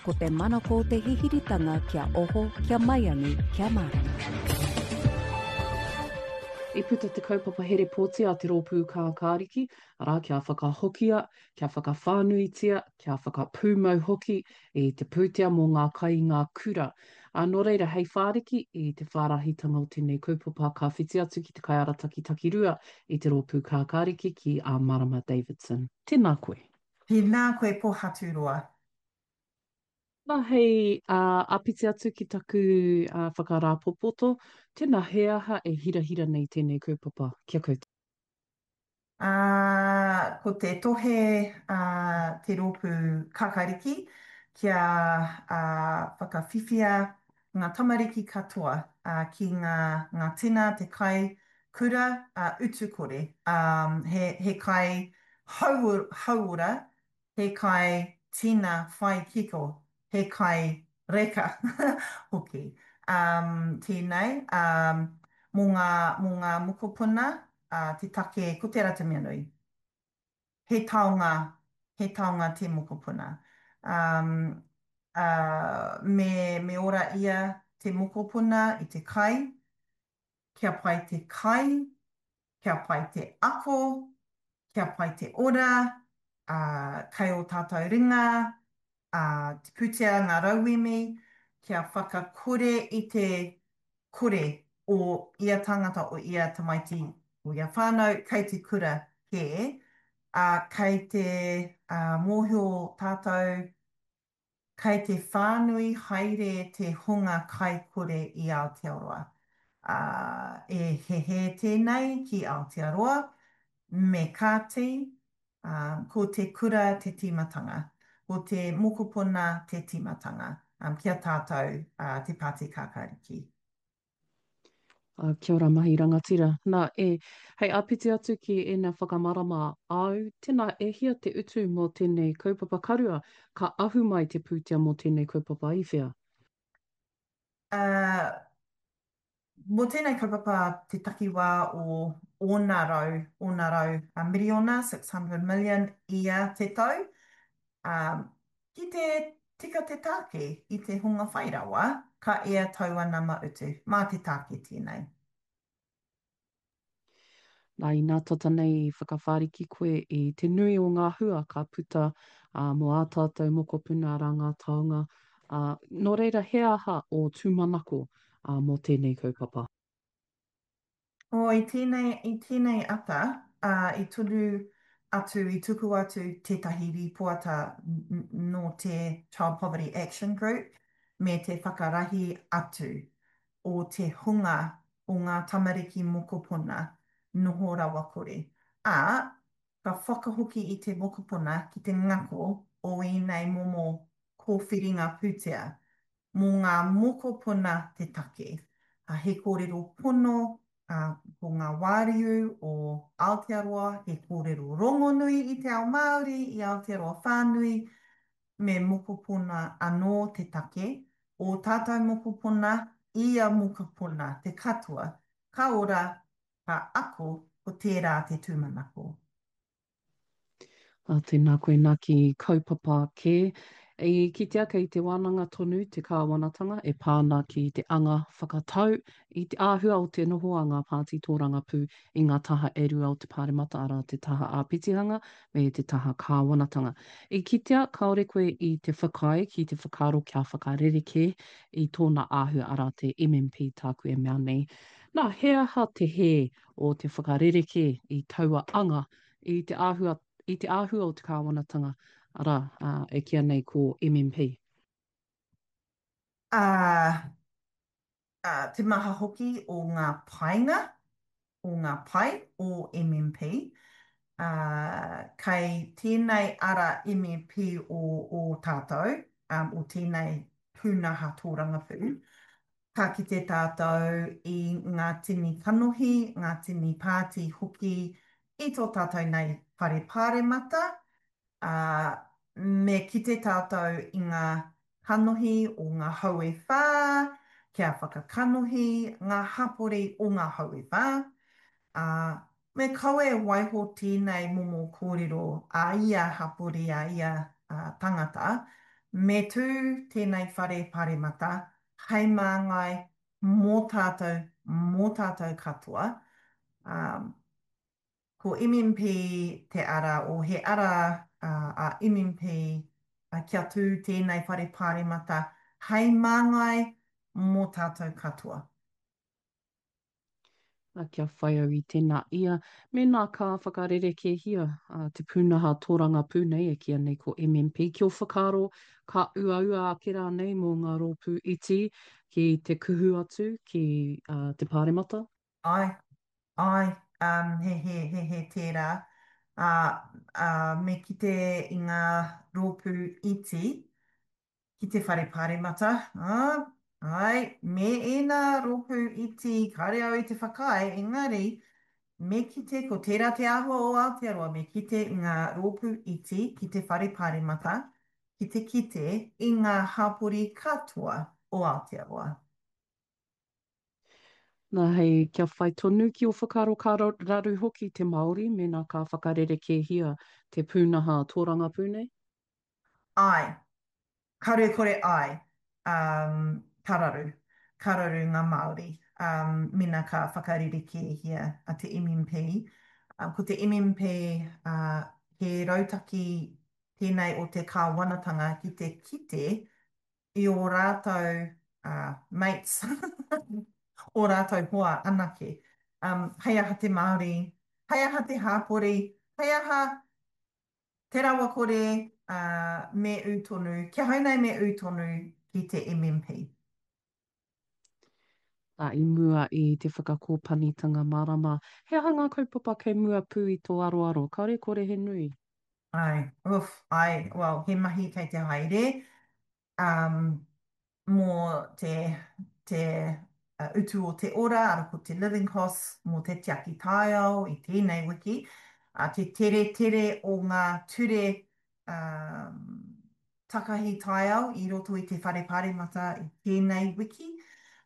Ko te manako te hihiritanga kia oho, kia maiangi, kia mārama. I puta te kaupapa here pōti a te Rōpū Kākāriki, arā, kia whakahokia, kia whakawhānuitia, kia whakapūmau hoki i te pūtea mō ngā kai i ngā kura. Ā, nō reira, hei whāriki i te whārahitanga o tēnei kaupapa ka whiti atu ki te kaiarataki takirua i te Rōpū Kākāriki ki a Marama Davidson. Tēnā koe. Tēnā koe Pohaturoa. Nā, hei āpiti atu ki taku whakarāpopoto, tēnā, he aha e hirahira nei tēnei kaupapa ki a koutou? Ā, ko te tohe a te rōpū Kakariki kia whakawhiwhia ngā tamariki katoa ki ngā ngā tina, te kai kura utu kore, he he kai hauora he kai tina whai kiko, he kai reka hoki. Tēnei, mō ngā, mō ngā mokopuna, te take, ko tērā te mea nui. He taonga, he taonga te mokopuna. Me, me ora ia te mokopuna i te kai, kia pai te kai, kia pai te ako, kia pai te ora, ā, kei ō tātou ringa, ā, te pūtea, ngā rauemi, kia whakakore i te kore o ia tangata, o ia tamaiti, o ia whānau kei te kura kē, ā, kei te, ā, mōhio tātou Kei te whānui haere te hunga kaikore i Aotearoa. Ā, e hehē tēnei ki Aotearoa, me kāti, ā, ko te kura te tīmatanga, ko te mokopuna te tīmatanga, ā, ki a tātou, ā, te Pāti Kākāriki. Ā, kia ora mahi rangatira. Nā, e, hei āpiti atu ki ēnā whakamarama āu, tēnā e hia te utu mō tēnei kaupapa karua, ka ahu mai te pūtea mō tēnei kaupapa i whea? Ā, mō tēnei kaupapa te takiwā o ōna rau, ōna rau miriona, 600 million, ia te tau, Ā, ki te tika te tāke i te hunga whai rawa, ka ea taua nama utu. Mā te tāke tēnei. Nā, inā tata nei i whakawhāriki koe i te nui o ngā hua ka puta, ā, mō ā tātou mokopuna, arā ngā taonga, ā, nō reira he aha ō tūmanako, ā, mō tēnei kaupapa? Oh, i tēnei, i tēnei ata, ā, i tunu atu, i tuku atu tētahi rīpoata nō te Child Poverty Action Group me te whakarahi atu o te hunga o ngā tamariki mokopuna noho rawakore, ā, ka whakahoki i te mokopuna ki te ngako o ēnei momo kōwhiringa pūtea mō ngā mokopuna te take. He kōrero pono ko ngā wāriu o Aotearoa, he kōrero rongonui i te ao Māori, i Aotearoa whānui, me mokopuna anō te take, ō tātou mokopuna, ia mokopuna, te katoa, ka ora, ka ako, ko tērā te tūmanako. Ā, tēnā koe nā ki kaupapa kē. I kitea kei te wānanga tonu te kāwanatanga e pā ana ki te anga whakatau i te āhua o te noho a ngā pāti tōrangapū i ngā taha e rua o te Pāremata, arā, te taha āpitihanga me te taha kāwanatanga. I kitea kāore koe i te whakaae ki te whakaaro kia whakarerekē i tōna āhua, arā, te MMP tāku e mea nei. Nā, he aha te hē o te whakarerekē i taua anga i te āhua, i te āhua o te kāwanatanga, arā, e kīia nei ko MMP. Ā, ā, te maha hoki o ngā painga, o ngā pai o MMP, ā, kei tēnei ara MMP o ō tātou, ā, o tēnei pūnaha tōrangapū, Ka kite tātou i ngā tini kanohi, ngā tini pāti hoki i tō tātou nei whare pāremata, ā, me kite tātou i ngā kanohi o ngā hau e whā, kia whakakanohi ngā hapori o ngā hau e whā, ā, me kaua e waiho tēnei momo kōrero a ia hapori, a ia tangata. Me tū tēnei whare paremata hei māngai mō tātou, mō tātou katoa. Ā, ko MMP te ara, o he ara a MMP kia tū tēnei whare paremata hei māngai mō tātou katoa. Ā, kia whai au i tēnā ia, mēnā ka whakarerekēhia te pūnaha tōrangapū nei e kīia nei ko MMP, ki ō whakaaro ka uaua ake rānei mō ngā rōpū iti ki te kuhu atu ki te Pāremata? Āe, āe, um, he, he, he, he tērā. Ā, ā, me kite i ngā rōpū iti ki te whare paremata, ā, āe, me ēnā rōpū iti kāre au i te whakaae, engari, me kite ko tērā te āhua o Aotearoa, me kite ngā rōpū iti ki te whare paremata, ki te kite i ngā hapori katoa o Aotearoa. Nā, hei kia whai tonu ki ō whakaaro ka raru hoki te Māori mēnā ka whakarerekēhia te pūnaha tōrangapū nei? Āe, Karu kore ai, um, ka raru. Ka raru ngā Māori, um, mena ka whakarerekēhia a te MMP. Um, ko te MMP, uh, he rautaki tēnei o te kāwanatanga ki te kite i ō rātou uh, mates, ō rātou hoa anake. Um, hei aha te Māori, hei aha te hāpori, hei aha Te rawakore, ā, me ū tonu, ki ahau nei me ū tonu ki te MMP. Ā, i mua i te whakakōpanitanga mārama, he aha ngā kaupapa kei mua pū i tō aroaro, kāore kore he nui? Āe, oof, āe, well, he mahi kei te haere, um, mō te, te utu o te ora, ara ko te living costs mō te tiaki taiao i tēnei wiki, ā, te teretere o ngā ture um, takahi taiao i roto i te Whare Pāremata i tēnei wiki.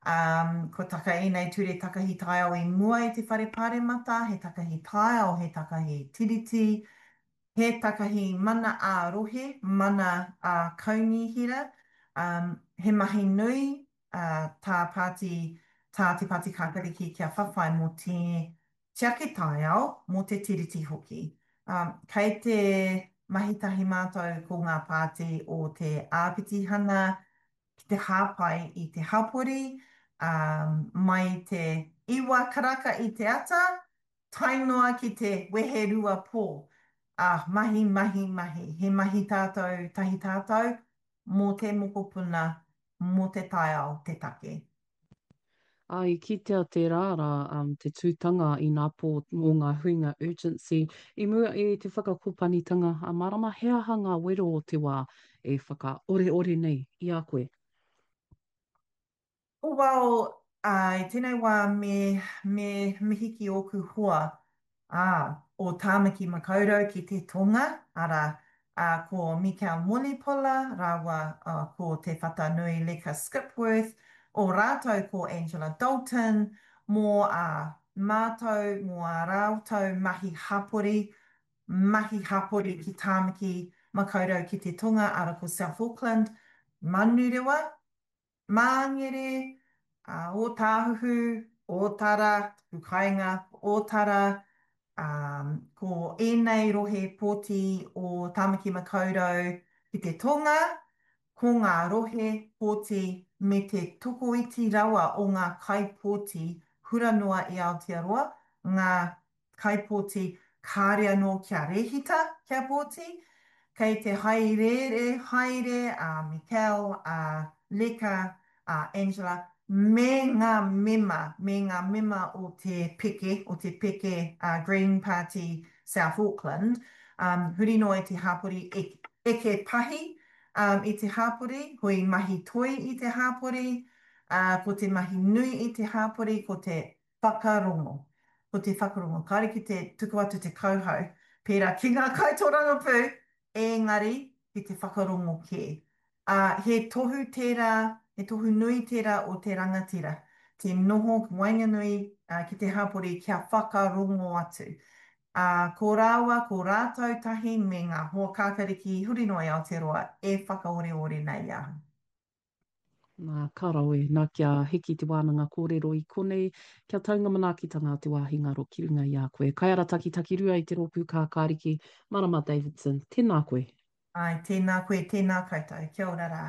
Um, kua taka ēnei ture takahi taiao i mua i te Whare Pāremata, he takahi taiao, he takahi tiriti, He takahi mana ā-rohe, mana ā-kaunihera, ā, he mahi nui tā pāti, tā Te Pāti Kākāriki kia whawhai mō te tiaki taiao, mō te Tiriti hoki. Ā, kei te mahi tahi mātou ko ngā pāti o te āpitihana ki te hāpai i te hapori, ā, mai i te iwa karaka i te ata, Tae noa ki te weherua pō. Ā, mahi, mahi, mahi. He mahi tātou, tahi tātou, mō te mokopuna, mō te taiao te take. Ā, i kitea tērā rā, te tūtanga ināpō o ngā huinga urgency i mua i te whakakopanitanga a Marama, he aha ngā wero o te wā e whakaoreore nei i a koe? Well, ā, i tēnei wā me, me mihi ki ōku hoa, ā, o Tāmaki Makaurau ki te tonga, arā, ā, ko Mikel Mulipola rāua, ā, ko Te Whatanui Leka Skipworth, o rātou ko Angela Dalton, mō ā mātou, mō ā rātou mahi hapori, mahi hapori ki Tāmaki Makaurau ki te tonga, arā, ko South Auckland, Manurewa, Māngere, ā, Ōtāhuhu, Ōtara, taku kāinga, Ōtara, ā, ko ēnei rohe pōti o Tāmaki Makaurau ki te tonga, ko ngā rohe pōti me te tokoiti rawa o ngā kaipōti hura noa i Aotearoa, ngā kaipōti kāre anō kia rēhita kia pōti, kei te haerēre haere a Mikel, a Leka, a Angela me ngā mema, me ngā mema o te peke, o te peke a Green Party South Auckland, um, huri noa i te hāpori eke pahi um, i te hāpori, hui mahi toi i te hāpori, uh, ko te mahi nui i te hāpori, ko te Whakarongo. Ko te whakarongo, kāre ki te tuku atu te kauhau, pērā ki ngā kaitōrangapū, engari ki te whakarongo kē. Ā, he tohu tērā, he tohu nui tērā o te rangatira, te noho waenganui ki te hapori kia whakarongo atu. Ā, ko rāua, ko rātou tahi me ngā hoa kākariki huri noa i Aotearoa e whakaoreore nei i ahau. Nā, ka rawe, nā kia hiki te wānanga kōrero i konei, kia tau ngā manaakitanga a te wāhi ngaro ki runga i a koe. Kaiarataki takirua i te rōpū Kākāriki, Marama Davidson, tēnā koe. Āe, tēnā koe, tēnā koutou. Kia ora rā.